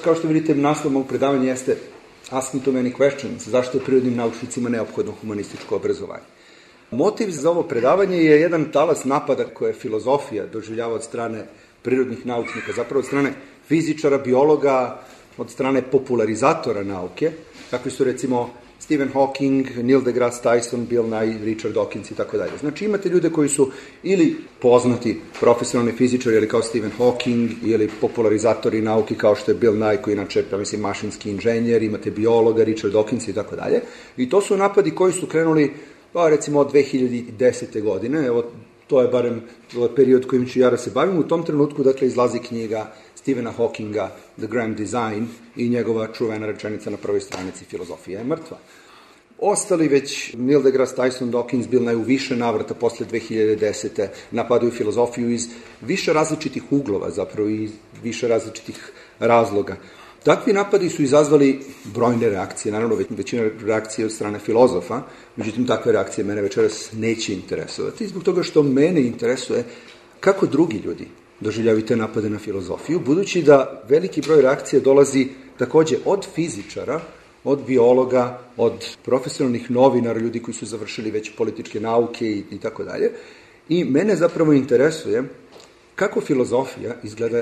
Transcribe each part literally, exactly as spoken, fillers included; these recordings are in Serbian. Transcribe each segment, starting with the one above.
Kao što vidite, naslov mog predavanja jeste Ask me too many questions, zašto je prirodnim naučnicima neophodno humanističko obrazovanje. Motiv za ovo predavanje je jedan talas napada koje filozofija doživljava od strane prirodnih naučnika, zapravo od strane fizičara, biologa, od strane popularizatora nauke, kakvi su recimo Stephen Hawking, Neil deGrasse Tyson, Bill Nye, Richard Dawkins i tako dalje. Znači imate ljude koji su ili poznati profesionalni fizičari, ili kao Stephen Hawking, ili popularizatori nauke kao što je Bill Nye, koji inače, ja mislim, mašinski inženjer, imate biologa, Richard Dawkins i tako dalje. I to su napadi koji su krenuli, pa recimo od dve hiljade desete. godine, evo, to je barem period kojim ću ja da se bavim. U tom trenutku, dakle, izlazi knjiga Stephena Hawkinga, The Grand Design, i njegova čuvena rečenica na prvoj stranici Filozofija je mrtva. Ostali već, Neil deGrasse Tyson, Dawkins, Bill Nye u više navrata posle dve hiljade desete. napadaju filozofiju iz više različitih uglova, zapravo iz više različitih razloga. Takvi napadi su izazvali brojne reakcije, naravno većina reakcije od strane filozofa, međutim takve reakcije mene večeras neće interesovati, zbog toga što mene interesuje kako drugi ljudi doživljavaju te napade na filozofiju, budući da veliki broj reakcija dolazi takođe od fizičara, od biologa, od profesionalnih novinara, ljudi koji su završili već političke nauke i, i tako dalje. I mene zapravo interesuje kako filozofija izgleda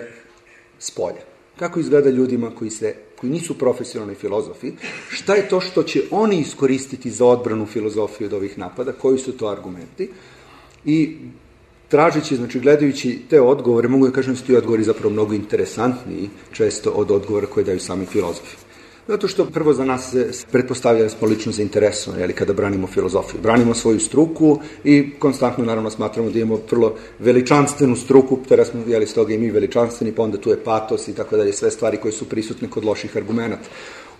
s polja. Kako izgleda ljudima koji, se, koji nisu profesionalni filozofi, šta je to što će oni iskoristiti za odbranu filozofije od ovih napada, koji su to argumenti. I tražeći, znači gledajući te odgovore, mogu da kažem da su ti odgovori zapravo mnogo interesantniji često od odgovora koje daju sami filozofi. Zato što prvo za nas se pretpostavlja da smo lično zainteresovani, jeli, kada branimo filozofiju. Branimo svoju struku i konstantno naravno smatramo da imamo vrlo veličanstvenu struku, tada smo, jeli, s toga i mi veličanstveni, pa onda tu je patos i tako dalje, sve stvari koje su prisutne kod loših argumenata.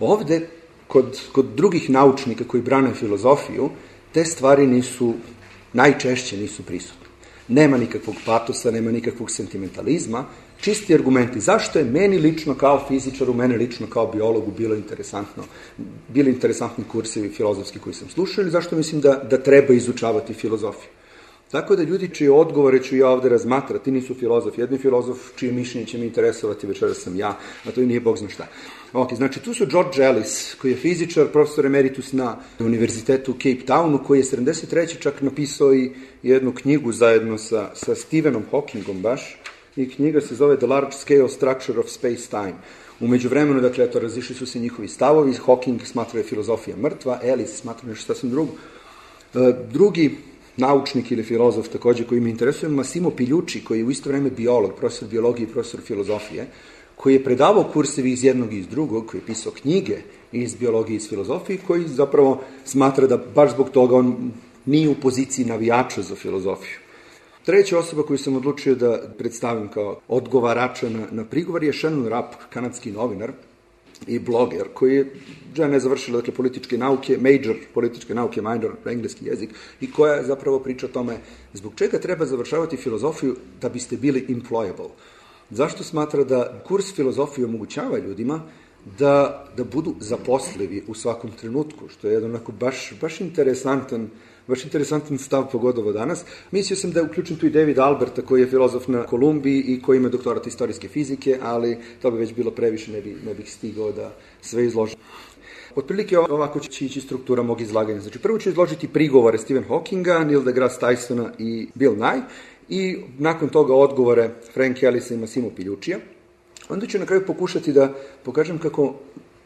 Ovde, kod, kod drugih naučnika koji brane filozofiju, te stvari nisu, najčešće nisu prisutne. Nema nikakvog patosa, nema nikakvog sentimentalizma, čisti argumenti. Zašto je meni lično kao fizičaru, mene lično kao biologu bilo interesantno, bili interesantni kursevi filozofski koji sam slušao, ili zašto mislim da, da treba izučavati filozofiju. Tako da ljudi čije odgovore ću ja ovde razmatrati nisu filozofi. Jedni filozof čije mišljenje će mi interesovati, večeras sam ja, a to i nije bog zna šta. Ok, znači tu su George Ellis, koji je fizičar, profesor emeritus na univerzitetu u Cape Townu, koji je sedamdeset treće čak napisao i jednu knjigu zajedno sa, sa Stephenom Hawkingom baš, i knjiga se zove The Large Scale Structure of Space-Time. U međuvremenu, dakle, eto, razišli su se njihovi stavovi, Hawking smatra je filozofija mrtva, Ellis smatra nešto sasvim drugo. E, drugi naučnik ili filozof takođe koji me interesuje, Massimo Pigliucci, koji je u isto vreme biolog, profesor biologije i profesor filozofije, koji je predavao kursevi iz jednog i iz drugog, koji je pisao knjige iz biologije i iz filozofije, koji zapravo smatra da baš zbog toga on nije u poziciji navijača za filozofiju. Treća osoba koju sam odlučio da predstavim kao odgovarača na, na prigovor je Shannon Rapp, kanadski novinar i bloger, koji je žena je završila, dakle, političke nauke, major političke nauke, minor, engleski jezik, i koja zapravo priča o tome zbog čega treba završavati filozofiju da biste bili employable. Zašto smatra da kurs filozofije omogućava ljudima da, da budu zaposlivi u svakom trenutku, što je jedan onako baš, baš interesantan baš interesantan stav pogodovo danas. Mislio sam da je uključen tu i David Alberta, koji je filozof na Kolumbiji i koji ima doktorat istorijske fizike, ali to bi već bilo previše, ne, bi, ne bih stigao da sve izložim. Otprilike ovako će ići struktura mog izlaganja. Znači, prvo ću izložiti prigovore Stephen Hawkinga, Neil deGrasse Tysona i Bill Nye, i nakon toga odgovore Frank Ellisa i Massimo Pigliuccija. Onda ću na kraju pokušati da pokažem kako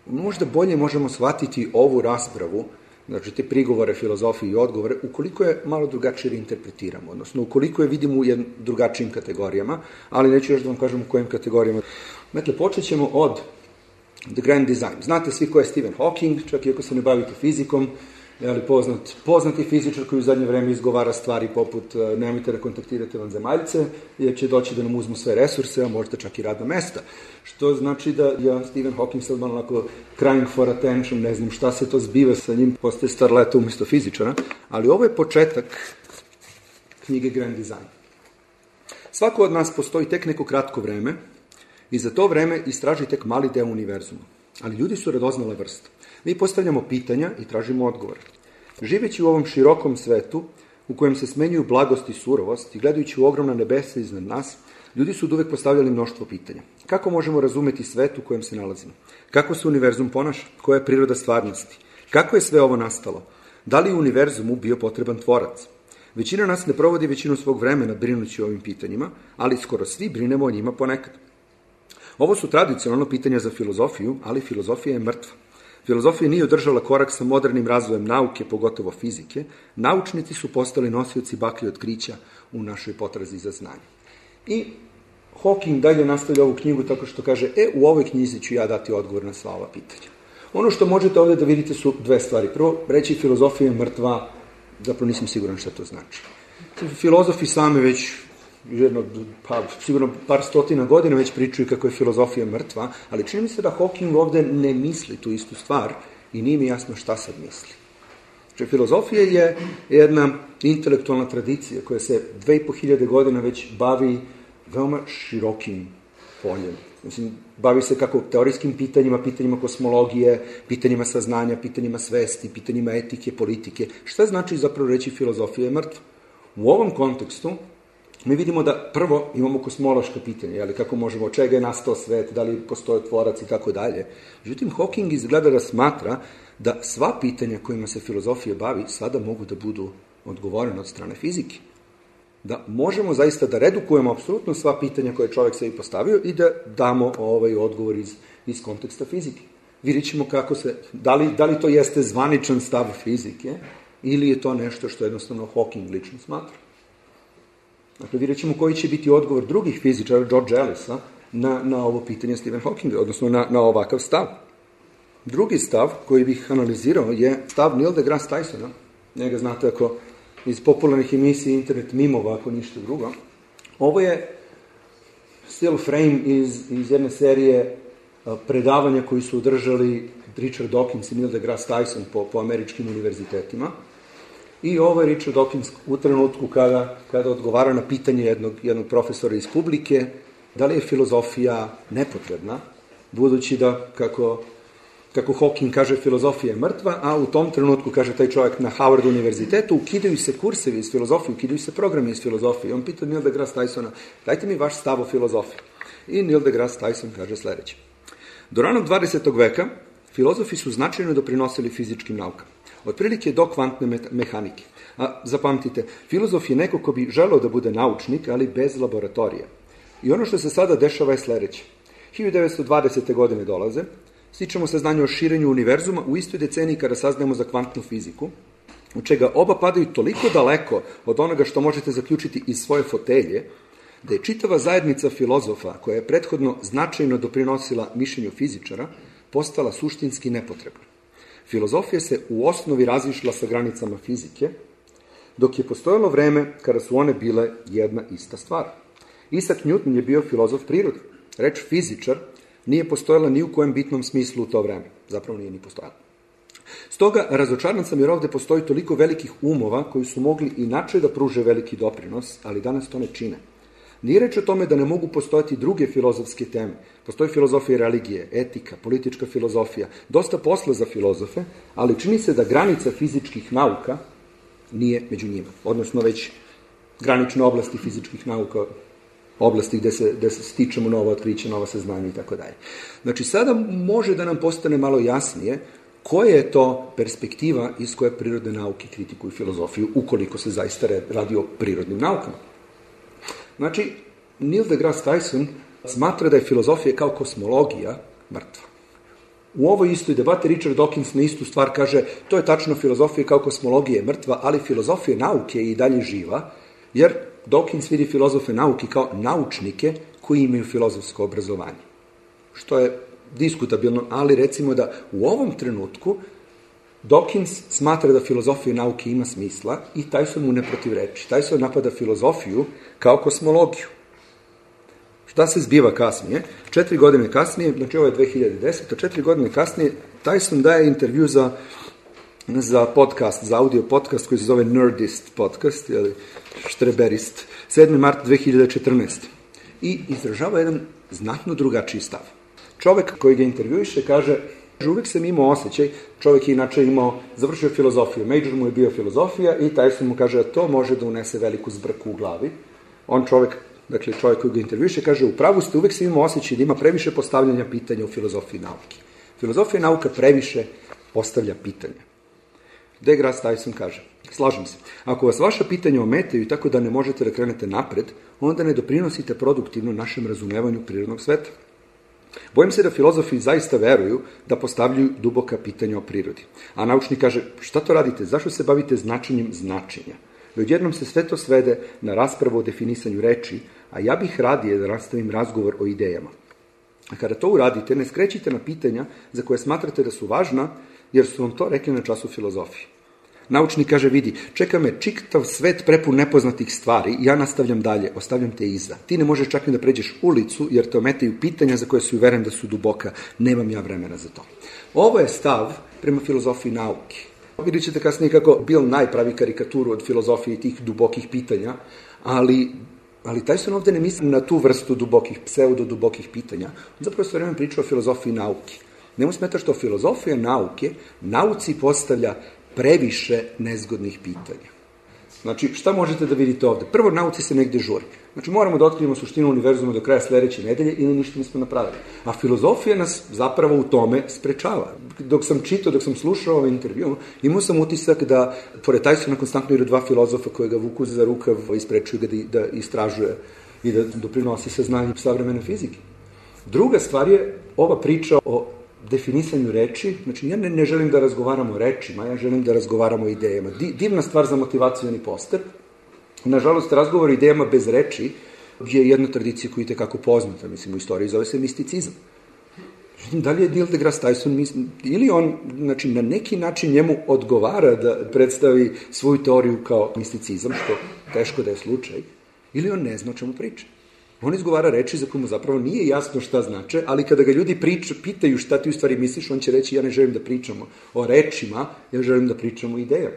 možda bolje možemo shvatiti ovu raspravu, znači te prigovore filozofije i odgovore, ukoliko je malo drugačije reinterpretiramo, odnosno ukoliko je vidimo u drugačijim kategorijama, ali neću još da vam kažem u kojim kategorijama. Dakle, počet ćemo od The Grand Design. Znate svi ko je Stephen Hawking, čak i ako se ne bavite fizikom, je poznat, poznati fizičar koji u zadnje vreme izgovara stvari poput nemojte da kontaktirate vanzemaljce, jer će doći da nam uzmu sve resurse, a možda čak i radna mesta. Što znači da ja, Stephen Hawking, sad malo onako crying for attention, ne znam šta se to zbiva sa njim, postaje starleta umjesto fizičara, ali ovo je početak knjige Grand Design. Svako od nas postoji tek neko kratko vreme i za to vreme istraži tek mali deo univerzuma. Ali ljudi su radoznale vrste. Mi postavljamo pitanja i tražimo odgovore. Živeći u ovom širokom svetu, u kojem se smenjuju blagost i surovost, i gledajući u ogromna nebesa iznad nas, Ljudi su uvek postavljali mnoštvo pitanja. Kako možemo razumeti svet u kojem se nalazimo? Kako se univerzum ponaša? Koja je priroda stvarnosti? Kako je sve ovo nastalo? Da li je univerzumu bio potreban tvorac? Većina nas ne provodi većinu svog vremena brinući o ovim pitanjima, ali skoro svi brinemo o njima ponekad. Ovo su tradicionalno pitanja za filozofiju, ali filozofija je mrtva. Filozofija nije održala korak sa modernim razvojem nauke, pogotovo fizike. Naučnici su postali nosioci baklje otkrića u našoj potrazi za znanje. I Hawking dalje nastavlja ovu knjigu tako što kaže, e, u ovoj knjizi ću ja dati odgovor na sva ova pitanja. Ono što možete ovdje da vidite su dve stvari. Prvo, reći filozofija je mrtva, zapravo nisam siguran šta to znači. Filozofi sami već jedno, pa, sigurno par stotina godina već pričaju kako je filozofija mrtva, ali čini mi se da Hawking ovdje ne misli tu istu stvar i nije mi jasno šta sad misli. Znači, filozofija je jedna intelektualna tradicija koja se dve i po hiljade godina već bavi veoma širokim poljem. Mislim, bavi se kako teorijskim pitanjima, pitanjima kosmologije, pitanjima saznanja, pitanjima svesti, pitanjima etike, politike. Šta znači zapravo reći filozofija je mrtva? U ovom kontekstu mi vidimo da prvo imamo kosmološka pitanja, jeli, kako možemo, od čega je nastao svet, da li postoje tvorac i tako dalje. Međutim, Hawking izgleda da smatra da sva pitanja kojima se filozofija bavi sada mogu da budu odgovorene od strane fizike. Da možemo zaista da redukujemo apsolutno sva pitanja koje je čovjek sebi postavio i da damo ovaj odgovor iz, iz konteksta fizike. Vidjet ćemo kako se, da li, da li to jeste zvaničan stav fizike ili je to nešto što jednostavno Hawking lično smatra. Dakle, vidjet ćemo koji će biti odgovor drugih fizičara, George Ellisa, na, na ovo pitanje Stephen Hawkinga, odnosno na, na ovakav stav. Drugi stav koji bih analizirao je stav Neil deGrasse Tysona. Njega znate ako iz popularnih emisija internet mimova, ako ništa drugo. Ovo je still frame iz, iz jedne serije predavanja koji su održali Richard Dawkins i Neil deGrasse Tyson po, po američkim univerzitetima. I ovo je Richard Dawkins u trenutku kada, kada odgovara na pitanje jednog, jednog profesora iz publike, da li je filozofija nepotrebna, budući da, kako, kako Hawking kaže, filozofija je mrtva, a u tom trenutku, kaže taj čovjek na Howard univerzitetu, ukidaju se kursevi iz filozofije, ukidaju se programi iz filozofije. On pita Neil deGrasse Tysona, dajte mi vaš stav o filozofiji. I Neil deGrasse Tyson kaže sljedeće. Do ranog dvadesetog veka filozofi su značajno doprinosili fizičkim naukama. Otprilike do kvantne mehanike. A zapamtite, filozof je neko ko bi želeo da bude naučnik, ali bez laboratorija. I ono što se sada dešava je sljedeće. hiljadu devetsto dvadesete godine dolaze, stičemo saznanje o širenju univerzuma u istoj deceniji kada saznajemo za kvantnu fiziku, u čega oba padaju toliko daleko od onoga što možete zaključiti iz svoje fotelje, da je čitava zajednica filozofa, koja je prethodno značajno doprinosila mišljenju fizičara, postala suštinski nepotrebna. Filozofija se u osnovi razišla sa granicama fizike, dok je postojalo vreme kada su one bile jedna ista stvar. Isaac Newton je bio filozof prirode. Reč fizičar nije postojala ni u kojem bitnom smislu u to vreme. Zapravo nije ni postojala. Stoga, razočaran sam jer ovdje postoji toliko velikih umova koji su mogli inače da pruže veliki doprinos, ali danas to ne čine. Nije reč o tome da ne mogu postojati druge filozofske teme. Postoji filozofija religije, etika, politička filozofija, dosta posla za filozofe, ali čini se da granica fizičkih nauka nije među njima. Odnosno već granične oblasti fizičkih nauka, oblasti gde se, gde se stičemo nova otkrića, nova saznanja i tako dalje. Znači sada može da nam postane malo jasnije koja je to perspektiva iz koje prirodne nauke kritikuju filozofiju, ukoliko se zaista radi o prirodnim naukama. Znači, Neil deGrasse Tyson smatra da je filozofija kao kosmologija mrtva. U ovoj istoj debati Richard Dawkins na istu stvar kaže, to je tačno, filozofija kao kosmologija je mrtva, ali filozofija nauke je i dalje živa, jer Dawkins vidi filozofe nauke kao naučnike koji imaju filozofsko obrazovanje. Što je diskutabilno, ali recimo da u ovom trenutku Dawkins smatra da filozofija nauke ima smisla i Tyson mu ne protivreči. Tyson napada filozofiju kao kosmologiju. Šta se zbiva kasnije? Četiri godine kasnije, znači ovo je dve hiljade desete, četiri godine kasnije, Tyson daje intervju za, za podcast, za audio podcast koji se zove Nerdist podcast, ili štreberist, sedmi mart dve hiljade četrnaeste. I izražava jedan znatno drugačiji stav. Čovjek koji ga intervjuiše kaže, uvijek sam imao osjećaj, čovjek je inače imao, završio filozofiju, major mu je bio filozofija i Tyson mu kaže da to može da unese veliku zbrku u glavi. On čovjek dakle čovjek koji ga intervjuše, kaže, u pravu ste, uvek se imamo osjećaj da ima previše postavljanja pitanja u filozofiji nauke. Filozofija nauka previše postavlja pitanja. DeGrasse Tyson kaže, slažem se, ako vas vaša pitanja ometaju i tako da ne možete da krenete napred, onda ne doprinosite produktivno našem razumevanju prirodnog sveta. Bojim se da filozofi zaista veruju da postavljaju duboka pitanja o prirodi. A naučnik kaže, šta to radite, zašto se bavite značenjem značenja? I odjednom se sve to svede na raspravu o definisanju reči, a ja bih radije da nastavim razgovor o idejama. A kada to uradite, ne skrećite na pitanja za koje smatrate da su važna, jer su vam to rekli na času filozofije. Naučnik kaže, vidi, čeka me čitav svet prepun nepoznatih stvari, ja nastavljam dalje, ostavljam te iza. Ti ne možeš čak ni da pređeš ulicu, jer te ometaju pitanja za koje su uveren da su duboka. Nemam ja vremena za to. Ovo je stav prema filozofiji nauke. Vidjet ćete kasnije kako Bill Nye pravi karikaturu od filozofije i tih dubokih pitanja, ali, ali Tyson ovde ne misli na tu vrstu dubokih, pseudo-dubokih pitanja. On zapravo sve vreme priča o filozofiji nauke. Nemu smeta što filozofija nauke nauci postavlja previše nezgodnih pitanja. Znači, šta možete da vidite ovde? Prvo, nauci se negde žuri. Znači, moramo da otkrijemo suštinu univerzuma do kraja sledeće nedelje ili ništa nismo napravili. A filozofija nas zapravo u tome sprečava. Dok sam čitao, dok sam slušao ovaj intervju, imao sam utisak da, pored Tysona, konstantno idu dva filozofa koje ga vuku za rukav i sprečuju ga da, da istražuje i da doprinosi saznanje savremene fizike. Druga stvar je ova priča o definisanju reči. Znači, ja ne, ne želim da razgovaramo o rečima, ja želim da razgovaramo o idejama. Divna stvar za motivacioni poster. Nažalost, razgovor o idejama bez reči je jedna tradicija koja je tekako poznata, mislim, u istoriji, zove se misticizam. Da li je Neil deGrasse Tyson, ili on, znači, na neki način njemu odgovara da predstavi svoju teoriju kao misticizam, što teško da je slučaj, ili on ne zna o čemu priča. On izgovara reči za koje mu zapravo nije jasno šta znače, ali kada ga ljudi priča, pitaju šta ti u stvari misliš, on će reći, ja ne želim da pričamo o rečima, ja želim da pričamo o idejama.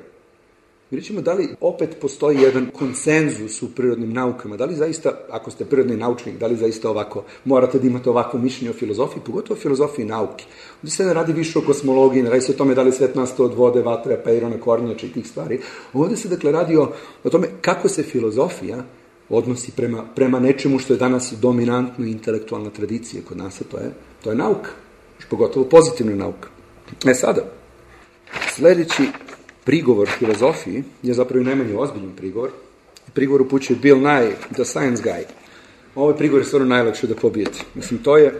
Vidjet ćemo da li opet postoji jedan konsenzus u prirodnim naukama, da li zaista, ako ste prirodni naučnik, da li zaista ovako, morate da imate ovako mišljenje o filozofiji, pogotovo o filozofiji nauke. Ovdje se ne radi više o kosmologiji, ne radi se o tome da li svet nastao od vode, vatre, peirona, kornjača i tih stvari. Ovdje se dakle radi o, o tome kako se filozofija odnosi prema, prema nečemu što je danas dominantno intelektualna tradicija kod nas, a to je, to je nauka, pogotovo pozitivna nauka. E sada, sljedeći prigovor filozofiji je zapravo i najmanje ozbiljan prigovor. Prigovor upućuje Bill Nye, the science guy. Ovaj prigovor je stvarno najlakše da pobijete. Mislim, to je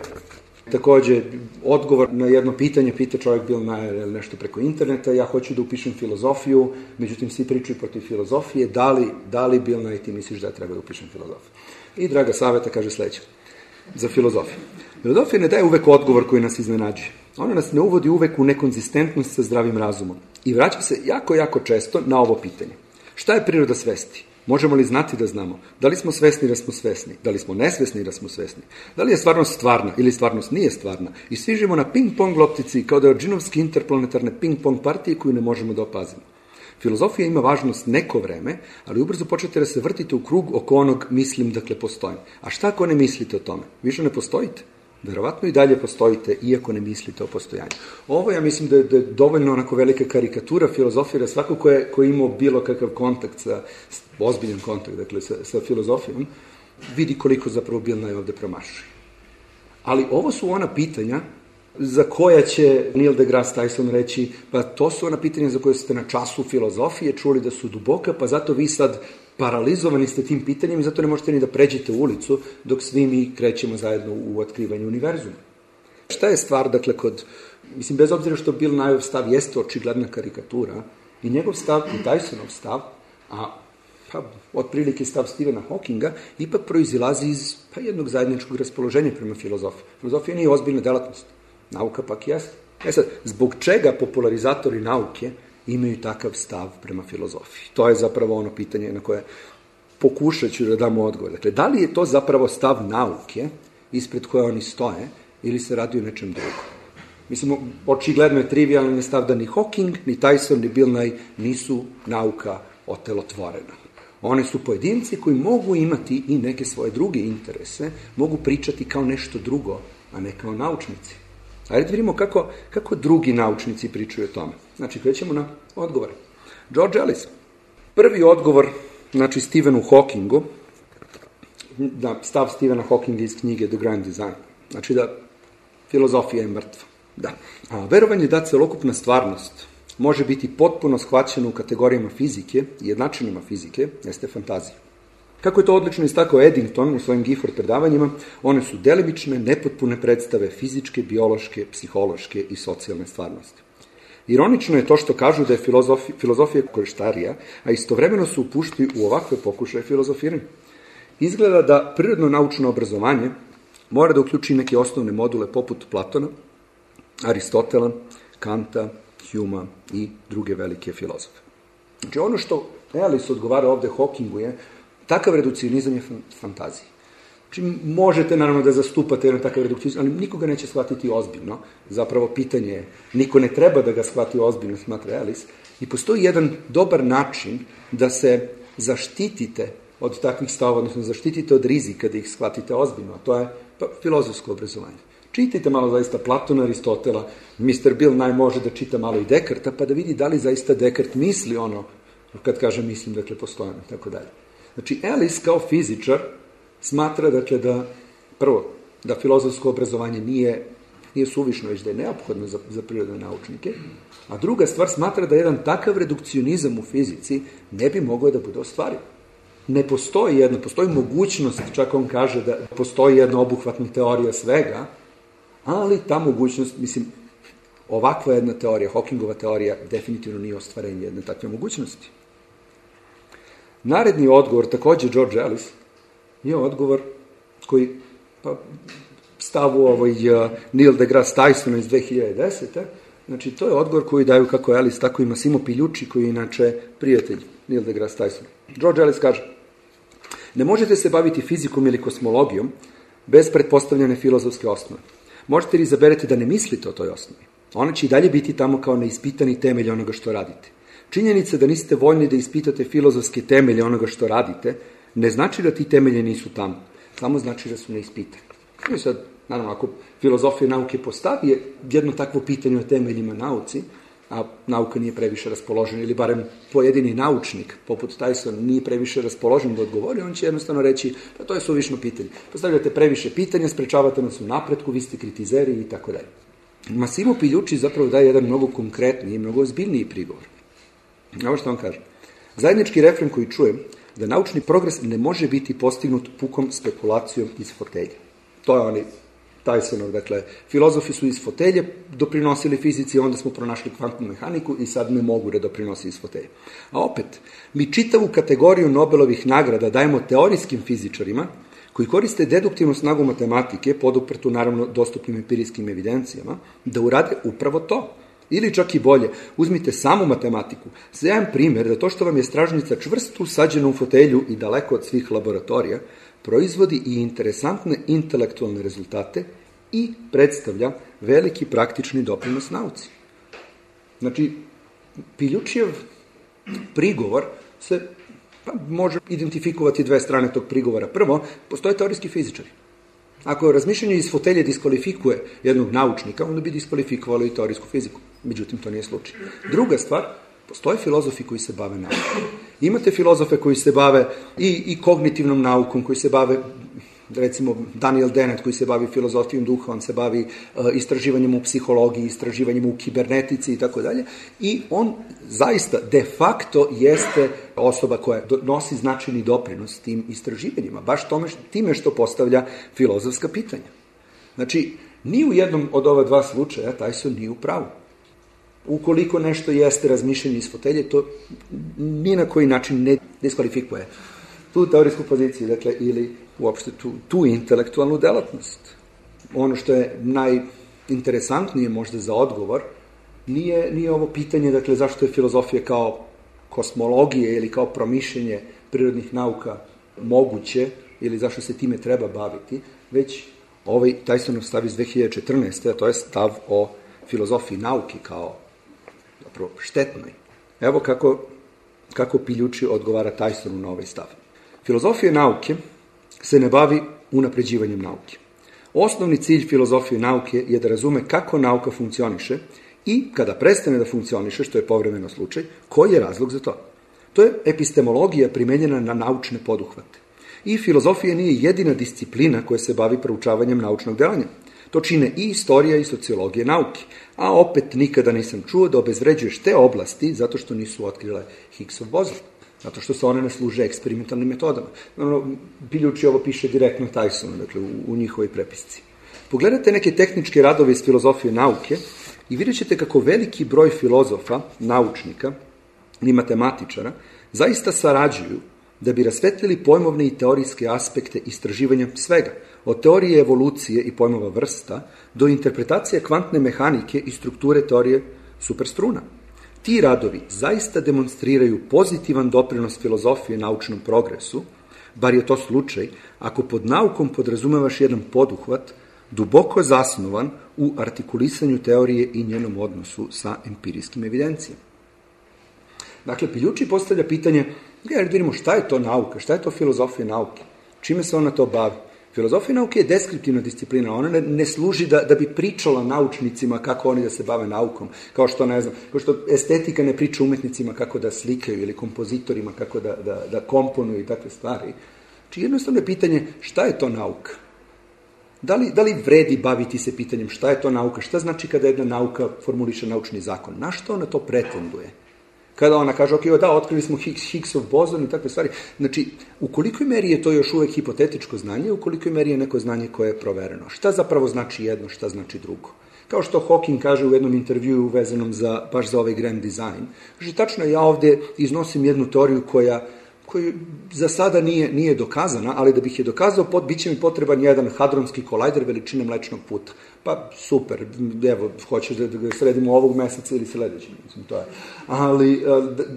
takođe odgovor na jedno pitanje, pita čovjek Bill Nye nešto preko interneta, ja hoću da upišem filozofiju, međutim svi pričaju protiv filozofije, da li, da li Bill Nye ti misliš da treba da upišem filozofiju? I draga saveta kaže sledeće, za filozofiju. Filozofija ne daje uvek odgovor koji nas iznenađuje. Ona nas ne uvodi uvek u nekonzistentnost sa zdravim razumom i vraća se jako, jako često na ovo pitanje. Šta je priroda svesti? Možemo li znati da znamo? Da li smo svesni da smo svesni? Da li smo nesvesni da smo svesni? Da li je stvarnost stvarna ili stvarnost nije stvarna? I svi živimo na ping-pong loptici kao da je džinovski interplanetarne ping-pong partije koju ne možemo da opazimo. Filozofija ima važnost neko vreme, ali ubrzo počete da se vrtite u krug oko onog mislim, dakle postojim. A šta ako ne mislite o tome? Više ne postojite? Verovatno i dalje postojite, iako ne mislite o postojanju. Ovo ja mislim da je, da je dovoljno onako velika karikatura filozofije, da svako ko je, ko je imao bilo kakav kontakt, sa, ozbiljan kontakt, dakle, sa, sa filozofijom, vidi koliko zapravo Bill Nye ovde promašuje. Ali ovo su ona pitanja za koja će Neil deGrasse Tyson reći, pa to su ona pitanja za koje ste na času filozofije čuli da su duboka, pa zato vi sad paralizovani ste tim pitanjem i zato ne možete ni da pređete u ulicu dok svi mi krećemo zajedno u otkrivanju univerzuma. Šta je stvar, dakle, kod, mislim, bez obzira što Bill Nyeov stav jeste očigledna karikatura i njegov stav i Tysonov stav, a pa, otprilike stav Stephena Hawkinga, ipak proizilazi iz pa, jednog zajedničkog raspoloženja prema filozofiji. Filozofija nije ozbiljna delatnost, nauka pak jeste. E sad, zbog čega popularizatori nauke imaju takav stav prema filozofiji? To je zapravo ono pitanje na koje pokušat ću da damo odgovor. Dakle, da li je to zapravo stav nauke ispred koje oni stoje ili se radi o nečem drugom? Mislim, očigledno je trivialan stav da ni Hawking, ni Tyson, ni Bill Nye nisu nauka otelotvorena. One su pojedinci koji mogu imati i neke svoje druge interese, mogu pričati kao nešto drugo, a ne kao naučnici. Ajde da vidimo kako, kako drugi naučnici pričaju o tome. Znači, krećemo na odgovore. George Ellis. Prvi odgovor, znači, Stephenu Hawkingu, na stav Stephena Hawkinga iz knjige The Grand Design. Znači da filozofija je mrtva. Da. A verovanje da celokupna stvarnost može biti potpuno shvaćena u kategorijama fizike i jednačinama fizike, jeste fantazija. Kako je to odlično istakao Eddington u svojim Gifford predavanjima, one su delimične, nepotpune predstave fizičke, biološke, psihološke i socijalne stvarnosti. Ironično je to što kažu da je filozofija, filozofija korištarija, a istovremeno su upušteni u ovakve pokušaje filozofiranja. Izgleda da prirodno-naučno obrazovanje mora da uključi neke osnovne module poput Platona, Aristotela, Kanta, Huma i druge velike filozofe. Znači ono što Ellis odgovara ovde Hawkingu je takav redukcionizam je fantazija. Znači možete naravno da zastupate jedan takav redukcionizam, ali nikoga neće shvatiti ozbiljno. Zapravo pitanje je, niko ne treba da ga shvati ozbiljno, smatra Ellis. I postoji jedan dobar način da se zaštitite od takvih stavova, odnosno zaštitite od rizika da ih shvatite ozbiljno, a to je pa, filozofsko obrazovanje. Čitajte malo zaista Platona, Aristotela, mister Bill naj može da čita malo i Dekarta, pa da vidi da li zaista Dekart misli ono, kad kaže mislim, dakle, postojano, tako dalje. Znači, Ellis kao fizičar smatra, dakle, da, prvo, da filozofsko obrazovanje nije, nije suvišno, već da je neophodno za, za prirodne naučnike, a druga stvar smatra da jedan takav redukcionizam u fizici ne bi mogao da bude ostvariv. Ne postoji jedna, postoji mogućnost, čak on kaže da postoji jedna obuhvatna teorija svega, ali ta mogućnost, mislim, ovakva jedna teorija, Hawkingova teorija, definitivno nije ostvarenje jedne takve mogućnosti. Naredni odgovor, takođe George Ellis, je odgovor koji pa, stavu ovaj uh, Neil deGrasse Tysona iz dve hiljade desete. Znači, to je odgovor koji daju kako Ellis, tako i Massimo Pigliucci, koji je inače prijatelj Neil deGrasse Tysona. George Ellis kaže, ne možete se baviti fizikom ili kosmologijom bez pretpostavljene filozofske osnove. Možete li izaberete da ne mislite o toj osnovi? Ona će i dalje biti tamo kao neispitani temelj onoga što radite. Činjenica da niste voljni da ispitate filozofske temelje onoga što radite, ne znači da ti temelje nisu tamo. Samo znači da su neispitani. I sad, naravno, ako filozofija nauke postavi jedno takvo pitanje o temeljima nauci, a nauka nije previše raspoložena, ili barem pojedini naučnik, poput Tysona, nije previše raspoložen da odgovori, on će jednostavno reći, pa to je suvišno pitanje. Postavljate previše pitanja, sprečavate nas u napretku, vi ste kritizeri i tako dalje. Massimo Pigliucci zapravo daje jedan mnogo konkretniji i mnogo ozbiljniji prigovor. Ovo što on kaže. Zajednički refren koji čujem, da naučni progres ne može biti postignut pukom spekulacijom iz fotelje. To je oni Tysonov, dakle, filozofi su iz fotelje doprinosili fizici, onda smo pronašli kvantnu mehaniku i sad ne mogu da doprinosi iz fotelje. A opet, mi čitavu kategoriju Nobelovih nagrada dajemo teorijskim fizičarima koji koriste deduktivnu snagu matematike, poduprtu naravno dostupnim empirijskim evidencijama, da urade upravo to. Ili čak i bolje, uzmite samu matematiku. Zajem primjer da to što vam je stražnica čvrsto usađena u fotelju i daleko od svih laboratorija, proizvodi i interesantne intelektualne rezultate i predstavlja veliki praktični doprinos nauci. Znači, Pigliuccijev prigovor se pa, može identifikovati dve strane tog prigovora. Prvo, postoje teorijski fizičari. Ako razmišljanje iz fotelje diskvalifikuje jednog naučnika, onda bi diskvalifikovalo i teorijsku fiziku. Međutim, to nije slučaj. Druga stvar, postoje filozofi koji se bave naukom. Imate filozofe koji se bave i, i kognitivnom naukom, koji se bave, recimo Daniel Dennett koji se bavi filozofijom duha, on se bavi uh, istraživanjem u psihologiji, istraživanjem u kibernetici i tako dalje. I on zaista de facto jeste osoba koja nosi značajni doprinos tim istraživanjima, baš tome, time što postavlja filozofska pitanja. Znači, ni u jednom od ova dva slučaja Tyson nije u pravu. Ukoliko nešto jeste razmišljanje iz fotelje, to ni na koji način ne diskvalifikuje tu teorijsku poziciju, dakle, ili uopšte tu, tu intelektualnu delatnost. Ono što je najinteresantnije možda za odgovor, nije, nije ovo pitanje, dakle, zašto je filozofija kao kosmologije ili kao promišljenje prirodnih nauka moguće, ili zašto se time treba baviti, već ovaj Tysonov stav iz dve hiljade četrnaeste. a to je stav o filozofiji nauke kao zapravo štetnoj. Evo kako, kako Pigliucci odgovara Tysonu na ovaj stav. Filozofija nauke se ne bavi unapređivanjem nauke. Osnovni cilj filozofije nauke je da razume kako nauka funkcioniše i kada prestane da funkcioniše, što je povremeno slučaj, koji je razlog za to. To je epistemologija primenjena na naučne poduhvate. I filozofija nije jedina disciplina koja se bavi proučavanjem naučnog delanja. To čine i istorija i sociologija nauke, a opet nikada nisam čuo da obezvređuješ te oblasti zato što nisu otkrile Higgsov bozon, zato što se one ne služe eksperimentalnim metodama. Ono, Biljuči ovo piše direktno Tysonu, dakle, u, u njihovoj prepisci. Pogledajte neke tehničke radove iz filozofije nauke i vidjet ćete kako veliki broj filozofa, naučnika i matematičara zaista sarađuju da bi rasvetlili pojmovne i teorijske aspekte istraživanja svega, od teorije evolucije i pojmova vrsta do interpretacije kvantne mehanike i strukture teorije superstruna. Ti radovi zaista demonstriraju pozitivan doprinos filozofije naučnom progresu, bar je to slučaj ako pod naukom podrazumevaš jedan poduhvat duboko zasnovan u artikulisanju teorije i njenom odnosu sa empirijskim evidencijama. Dakle, Piljuči postavlja pitanje, ja vidimo šta je to nauka, šta je to filozofija nauke, čime se ona to bavi. Filozofija nauke je deskriptivna disciplina, ona ne, ne služi da, da bi pričala naučnicima kako oni da se bave naukom, kao što, ne znam, kao što estetika ne priča umetnicima kako da slikaju ili kompozitorima kako da, da, da komponuju i takve stvari. Znači, jednostavno je pitanje šta je to nauka? Da li, da li vredi baviti se pitanjem šta je to nauka, šta znači kada jedna nauka formuliše naučni zakon, na što ona to pretenduje? Kada ona kaže, ok, da, otkrili smo Higgsov bozon i takve stvari. Znači, u kolikoj meri je to još uvek hipotetičko znanje, u kolikoj meri je neko znanje koje je provereno? Šta zapravo znači jedno, šta znači drugo? Kao što Hawking kaže u jednom intervjuu vezanom za, baš za ovaj grand design, že tačno ja ovde iznosim jednu teoriju koja, koja za sada nije, nije dokazana, ali da bih je dokazao, pot, bit će mi potreban jedan hadronski kolajder veličine Mlečnog puta. Pa super, evo, hoćeš da ga sredimo ovog meseca ili sledećeg, mislim, to je. Ali,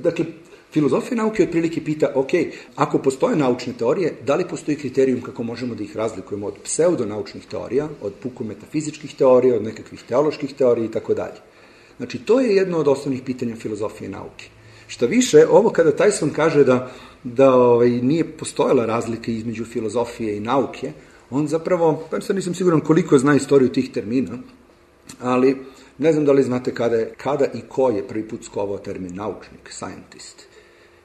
dakle, filozofija nauke otprilike pita, ok, ako postoje naučne teorije, da li postoji kriterijum kako možemo da ih razlikujemo od pseudonaučnih teorija, od puko metafizičkih teorija, od nekakvih teoloških teorija i tako dalje. Znači, to je jedno od osnovnih pitanja filozofije nauke. Šta više, ovo kada Tyson kaže da, da ovaj, nije postojala razlika između filozofije i nauke, on zapravo, pa sad nisam siguran koliko zna istoriju tih termina, ali ne znam da li znate kada, je, kada i ko je prvi put skovao termin naučnik, scientist.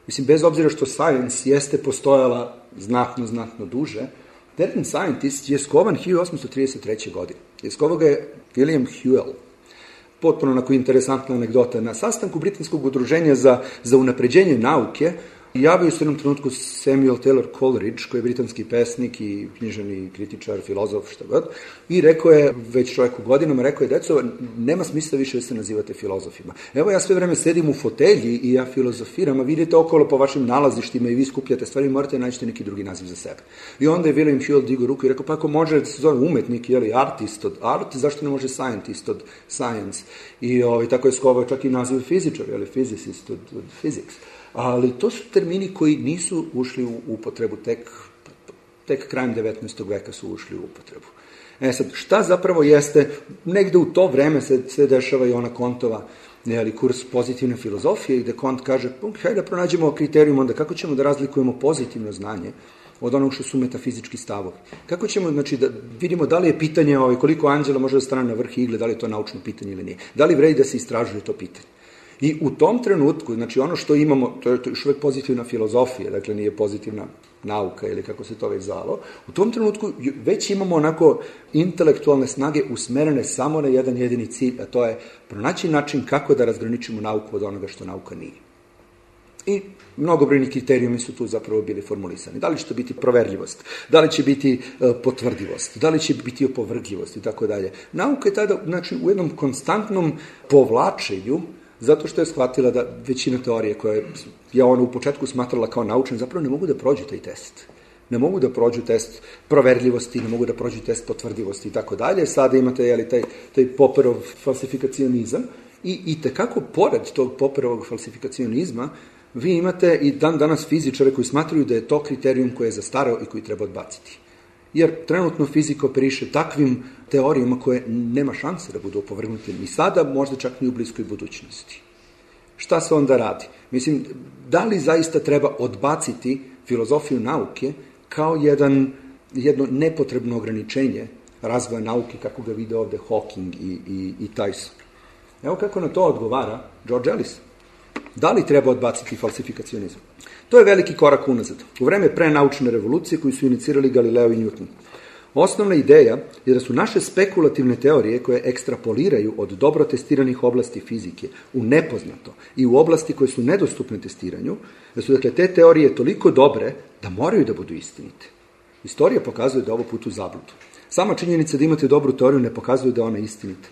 Mislim, bez obzira što science jeste postojala znatno, znatno duže, termin scientist je skovan hiljadu osamsto trideset treće. godine. Je skovao ga je William Whewell. Potpuno onako interesantna anegdota. Na sastanku Britanskog udruženja za, za unapređenje nauke javio se u jednom trenutku Samuel Taylor Coleridge, koji je britanski pesnik i književni kritičar, filozof, šta god, i rekao je, već čovjek u godinama, rekao je, deco, nema smisla više da se nazivate filozofima. Evo, ja sve vreme sedim u fotelji i ja filozofiram, a vidite okolo po vašim nalazištima i vi skupljate stvari, morate naći neki drugi naziv za sebe. I onda je William Whewell digao ruku i rekao, pa ako može da se zove umetnik, jeli, artist od art, zašto ne može scientist od science? I ovaj, tako je skovao čak i naziv fizičar, jeli, physicist od, od physics. Ali to su termini koji nisu ušli u upotrebu, tek, tek krajem devetnaestog veka su ušli u upotrebu. E sad, šta zapravo jeste, negde u to vreme se, se dešava i ona Kontova, nejeli, kurs pozitivne filozofije, gde Kont kaže, hajde da pronađemo kriterijum onda kako ćemo da razlikujemo pozitivno znanje od onog što su metafizički stavovi. Kako ćemo, znači, da vidimo da li je pitanje ovaj, koliko anđela može da stane na vrh igle, da li je to naučno pitanje ili nije. Da li vredi da se istražuje to pitanje. I u tom trenutku, znači ono što imamo, to je, to je još uvek pozitivna filozofija, dakle nije pozitivna nauka ili kako se to već zvalo, u tom trenutku već imamo onako intelektualne snage usmerene samo na jedan jedini cilj, a to je pronaći način kako da razgraničimo nauku od onoga što nauka nije. I mnogobrojni kriterijumi su tu zapravo bili formulisani. Da li će to biti proverljivost, da li će biti e, potvrdivost, da li će biti opovrgljivost i tako dalje. Nauka je tada, znači, u jednom konstantnom povlačenju, zato što je shvatila da većina teorije koje je ona u početku smatrala kao naučne, zapravo ne mogu da prođu taj test. Ne mogu da prođu test proverljivosti, ne mogu da prođu test potvrdivosti i tako dalje. Sada imate, jeli, taj, taj Popperov falsifikacionizam i, i tekako pored tog Popperovog falsifikacionizma vi imate i dan danas fizičare koji smatruju da je to kriterijum koji je zastarao i koji treba odbaciti. Jer trenutno fizika operiše takvim teorijama koje nema šanse da budu opovrgnute ni sada, možda čak ni u bliskoj budućnosti. Šta se onda radi? Mislim, da li zaista treba odbaciti filozofiju nauke kao jedan, jedno nepotrebno ograničenje razvoja nauke kako ga vide ovde Hawking i, i, i Tyson? Evo kako na to odgovara George Ellis. Da li treba odbaciti falsifikacionizam? To je veliki korak unazad. U vreme prenaučne revolucije koju su inicirali Galileo i Newton. Osnovna ideja je da su naše spekulativne teorije koje ekstrapoliraju od dobro testiranih oblasti fizike u nepoznato i u oblasti koje su nedostupne testiranju, da su dakle te teorije toliko dobre da moraju da budu istinite. Istorija pokazuje da je ovo put u zabludu. Sama činjenica da imate dobru teoriju ne pokazuje da je ona istinita.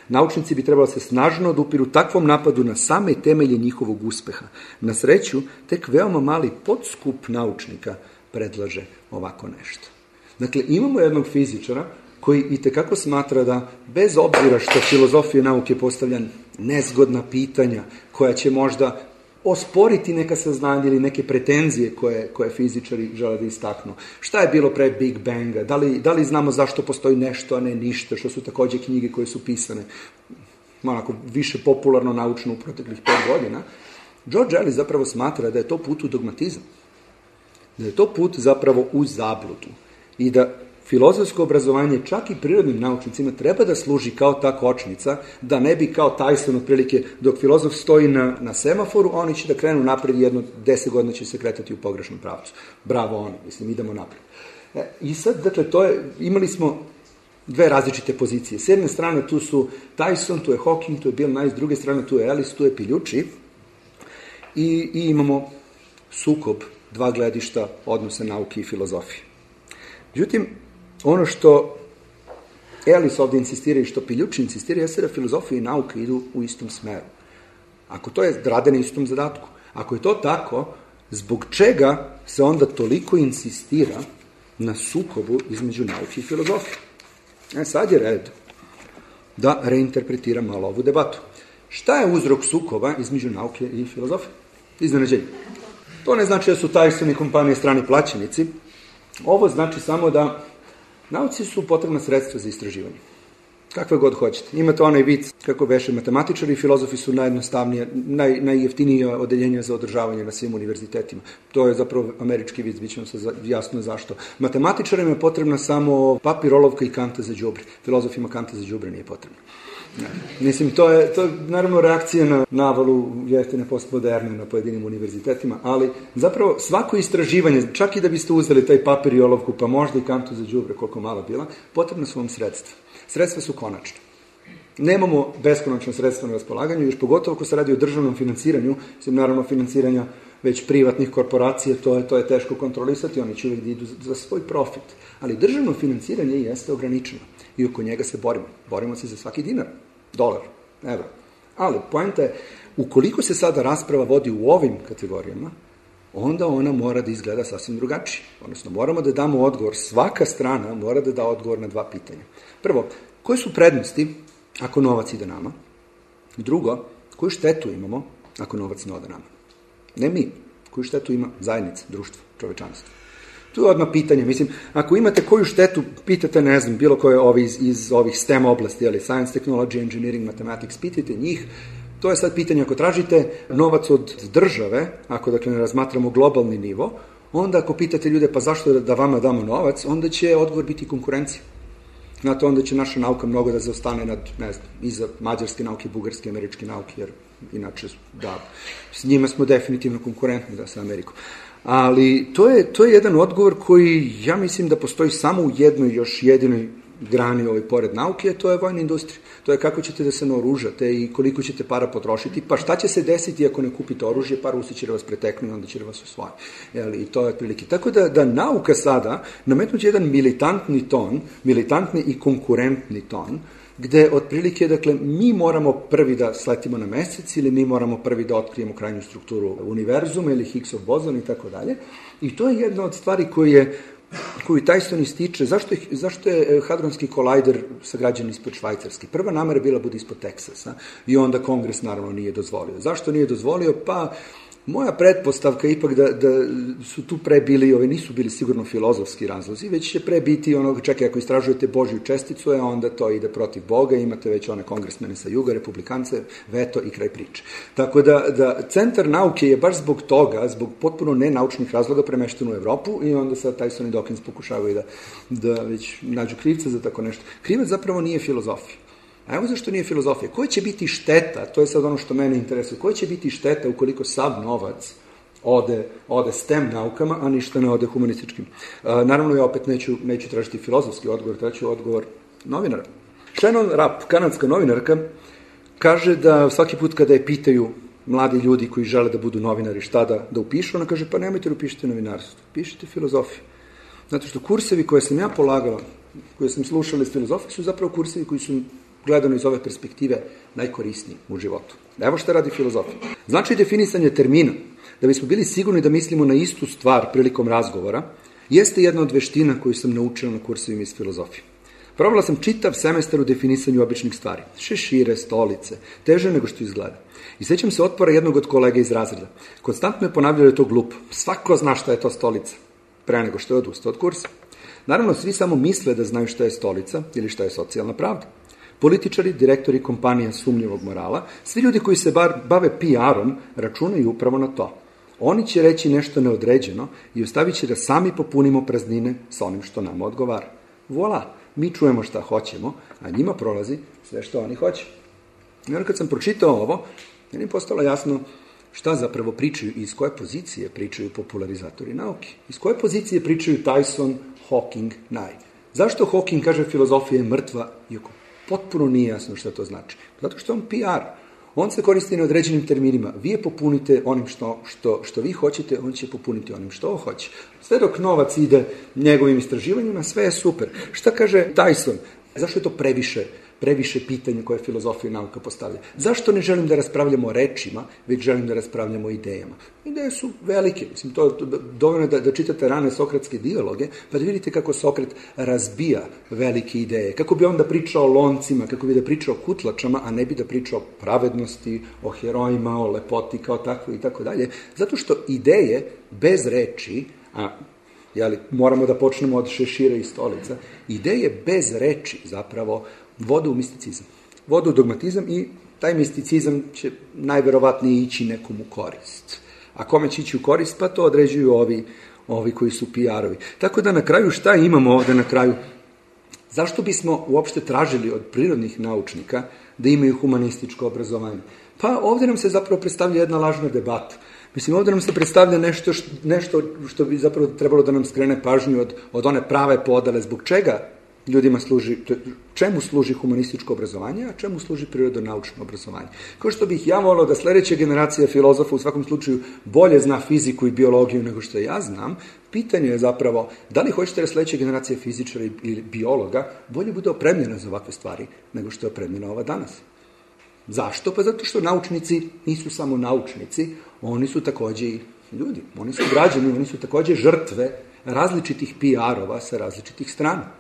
Naučnici bi trebalo se snažno odupiru takvom napadu na same temelje njihovog uspeha. Na sreću, tek veoma mali podskup naučnika predlaže ovako nešto. Dakle, imamo jednog fizičara koji itekako smatra da, bez obzira što filozofija nauke postavlja nezgodna pitanja, koja će možda osporiti neka saznanja ili neke pretenzije koje, koje fizičari žele da istaknu. Šta je bilo pre Big Banga? Da li, da li znamo zašto postoji nešto, a ne ništa, što su takođe knjige koje su pisane onako više popularno naučno u proteklih pet godina. George Ellis zapravo smatra da je to put u dogmatizam. Da je to put zapravo u zabludu. I da filozofsko obrazovanje čak i prirodnim naučnicima treba da služi kao ta kočnica, da ne bi kao Tyson otprilike dok filozof stoji na, na semaforu, oni će da krenu napred, jedno deset godina će se kretati u pogrešnom pravcu. Bravo oni, mislim, idemo napred. E, I sad, dakle, to je, imali smo dve različite pozicije. S jedne strane tu su Tyson, tu je Hawking, tu je Bill Nye, s druge strane tu je Ellis, tu je Piljuči i, i imamo sukob dva gledišta odnose nauke i filozofije. Međutim, ono što Ellis ovdje insistira i što Piljuči insistira jeste da filozofija i nauka idu u istom smeru. Ako to je rade na istom zadatku, ako je to tako, zbog čega se onda toliko insistira na sukobu između nauke i filozofije? E sad je red da reinterpretiram malo ovu debatu. Šta je uzrok sukoba između nauke i filozofije? Iznenađenje. To ne znači da su Tyson i kompanije strani plaćenici. Ovo znači samo da nauci su potrebna sredstva za istraživanje. Kakve god hoćete. Imate onaj vic kako beše matematičari i filozofi su najjednostavnije, naj, najjeftinije odeljenje za održavanje na svim univerzitetima. To je zapravo američki vic, bit će vam se jasno zašto. Matematičarima je potrebna samo papir, olovka i kanta za đubre. Filozofima kanta za đubre nije potrebno. Ne. Mislim, to je, to je naravno reakcija na navalu jeftine postmoderne na pojedinim univerzitetima, ali zapravo svako istraživanje, čak i da biste uzeli taj papir i olovku, pa možda i kantu za đubre, koliko mala bila, potrebna su vam sredstva. Sredstva su konačne. Nemamo beskonačno sredstva na raspolaganju, još pogotovo ako se radi o državnom finansiranju, mislim, naravno finansiranja već privatnih korporacija, to je, to je teško kontrolisati, oni će uvijek da idu za svoj profit. Ali državno finansiranje jeste ograničeno i oko njega se borimo. Borimo se za svaki dinar, dolar, evro. Ali poenta je, ukoliko se sada rasprava vodi u ovim kategorijama, onda ona mora da izgleda sasvim drugačije. Odnosno, moramo da damo odgovor, svaka strana mora da da odgovor na dva pitanja. Prvo, koje su prednosti ako novac ide nama? Drugo, koju štetu imamo ako novac ne ode nama? Ne mi, koju štetu ima zajednica, društvo, čovečanstvo. Tu je odmah pitanje, mislim, ako imate koju štetu, pitate, ne znam, bilo koje ovi iz, iz ovih STEM oblasti, ali science, technology, engineering, mathematics, pitajte njih, to je sad pitanje, ako tražite novac od države, ako dakle ne razmatramo globalni nivo, onda ako pitate ljude, pa zašto da vama damo novac, onda će odgovor biti konkurencija. Znate, onda će naša nauka mnogo da zaostane nad, ne znam, iza mađarske nauke, bugarske, američke nauke, jer inače, da, s njima smo definitivno konkurentni, da, sa Amerikom. Ali to je, to je jedan odgovor koji, ja mislim da postoji samo u jednoj još jedinoj grani ovaj pored nauke, to je vojna industrija. To je kako ćete da se naoružate i koliko ćete para potrošiti, pa šta će se desiti ako ne kupite oružje, pa Rusi će da vas preteknu i onda će da vas osvoje. I to je otprilike. Tako da, da nauka sada nametnuće jedan militantni ton, militantni i konkurentni ton, gde otprilike, dakle, mi moramo prvi da sletimo na mesec ili mi moramo prvi da otkrijemo krajnju strukturu univerzuma ili Higgsov bozon i tako dalje. I to je jedna od stvari koje je koju Tyson ističe, zašto je, zašto je hadronski kolajder sagrađen ispod Švajcarske? Prva namera je bila bude ispod Teksasa i onda Kongres naravno nije dozvolio. Zašto nije dozvolio? Pa moja pretpostavka je ipak da, da su tu pre bili, ove nisu bili sigurno filozofski razlozi, već će pre biti ono, čekaj, ako istražujete Božju česticu, a onda to ide protiv Boga, imate već one kongresmene sa juga, republikance, veto i kraj priče. Tako da, da centar nauke je baš zbog toga, zbog potpuno nenaučnih razloga premešten u Evropu i onda sad Tyson i Dawkins pokušavaju da, da već nađu krivca za tako nešto. Krivac zapravo nije filozofija. A evo zašto nije filozofija. Koja će biti šteta, to je sad ono što mene interesuje, koja će biti šteta ukoliko sav novac ode, ode STEM naukama, a ništa ne ode humanističkim. A, naravno, ja opet neću, neću tražiti filozofski odgovor, tražiti odgovor novinara. Shannon Rapp, kanadska novinarka, kaže da svaki put kada je pitaju mladi ljudi koji žele da budu novinari šta da, da upišu, ona kaže, pa nemojte da upišite novinarstvo, pišite filozofiju. Zato što kursevi koje sam ja polagala, koje sam slušala iz filozofije, su zapravo kursevi koji su gledano iz ove perspektive najkorisniji u životu. Evo šta radi filozofija. Znači definisanje termina, da bismo bili sigurni da mislimo na istu stvar prilikom razgovora, jeste jedna od veština koju sam naučila na kursevima iz filozofije. Provela sam čitav semestar u definisanju običnih stvari. Šešire, stolice, teže nego što izgleda. I sećam se otpora jednog od kolega iz razreda. Konstantno je ponavljao da je to glupo. Svako zna šta je to stolica, pre nego što je odustao od kursa. Naravno, svi samo misle da znaju šta je stolica ili šta je socijalna pravda. Političari, direktori kompanija sumnjivog morala, svi ljudi koji se bar bave P R-om računaju upravo na to. Oni će reći nešto neodređeno i ostavit će da sami popunimo praznine sa onim što nama odgovara. Voila, mi čujemo šta hoćemo, a njima prolazi sve što oni hoće. I onda kad sam pročitao ovo, meni je postalo jasno šta zapravo pričaju i iz koje pozicije pričaju popularizatori nauke. Iz koje pozicije pričaju Tyson, Hawking, Nye. Zašto Hawking kaže filozofija je mrtva, iako potpuno nije jasno šta to znači? Zato što on P R. On se koristi na određenim terminima. Vi je popunite onim što, što, što vi hoćete, on će popuniti onim što on hoće. Sve dok novac ide njegovim istraživanjima, sve je super. Šta kaže Tyson? Zašto je to previše, previše pitanja koje filozofija i nauka postavlja? Zašto ne želim da raspravljamo o rečima, već želim da raspravljamo o idejama? Ideje su velike. Mislim, to je dovoljno da, da čitate rane sokratske dijaloge, pa da vidite kako Sokrat razbija velike ideje. Kako bi onda pričao o loncima, kako bi da pričao o kutlačama, a ne bi da pričao o pravednosti, o herojima, o lepoti kao takvo i tako dalje. Zato što ideje bez reči, a jeli, moramo da počnemo od šešira i stolica, ideje bez reči zapravo vode u misticizam. Vode u dogmatizam i taj misticizam će najverovatnije ići nekom u korist. A kome će ići u korist? Pa to određuju ovi, ovi koji su P R-ovi. Tako da na kraju šta imamo ovde na kraju? Zašto bismo uopšte tražili od prirodnih naučnika da imaju humanističko obrazovanje? Pa ovde nam se zapravo predstavlja jedna lažna debata. Mislim, ovdje nam se predstavlja nešto, što, nešto što bi zapravo trebalo da nam skrene pažnju od, od one prave podele. Zbog čega ljudima služi, čemu služi humanističko obrazovanje, a čemu služi prirodonaučno obrazovanje. Kao što bih ja volao da sledeća generacija filozofa u svakom slučaju bolje zna fiziku i biologiju nego što ja znam, pitanje je zapravo da li hoćete da sledeća generacija fizičara ili biologa bolje bude opremljena za ovakve stvari nego što je opremljena ova danas. Zašto? Pa zato što naučnici nisu samo naučnici, oni su takođe i ljudi, oni su građani, oni su takođe žrtve različitih P R-ova sa različitih strana.